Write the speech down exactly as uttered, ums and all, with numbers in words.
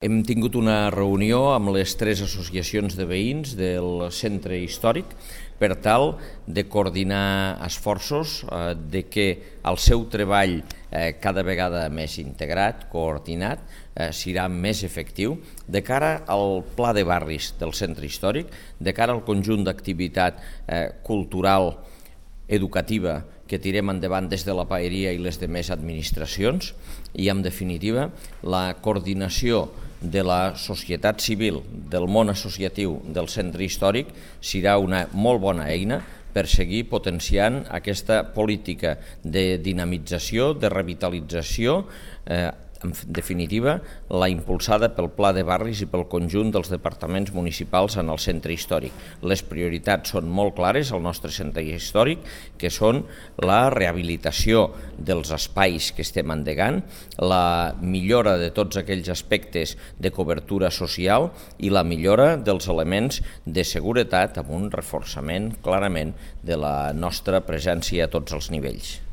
Hem tingut una reunió amb les tres associacions de veïns del centre històric per tal de coordinar esforços, eh, de que el seu treball eh, cada vegada més integrat, coordinat, eh, serà més efectiu de cara al pla de barris del centre històric, de cara al conjunt d'activitat eh, cultural, educativa que tirem endavant des de la paeria i les demés administracions i, en definitiva, la coordinació de la societat civil, del món associatiu del centre històric serà una molt bona eina per seguir potenciant aquesta política de dinamització, de revitalització, eh, en definitiva, la impulsada pel Pla de Barris i pel conjunt dels departaments municipals en el centre històric. Les prioritats són molt clares al nostre centre històric, que són la rehabilitació dels espais que estem endegant, la millora de tots aquells aspectes de cobertura social i la millora dels elements de seguretat amb un reforçament clarament de la nostra presència a tots els nivells.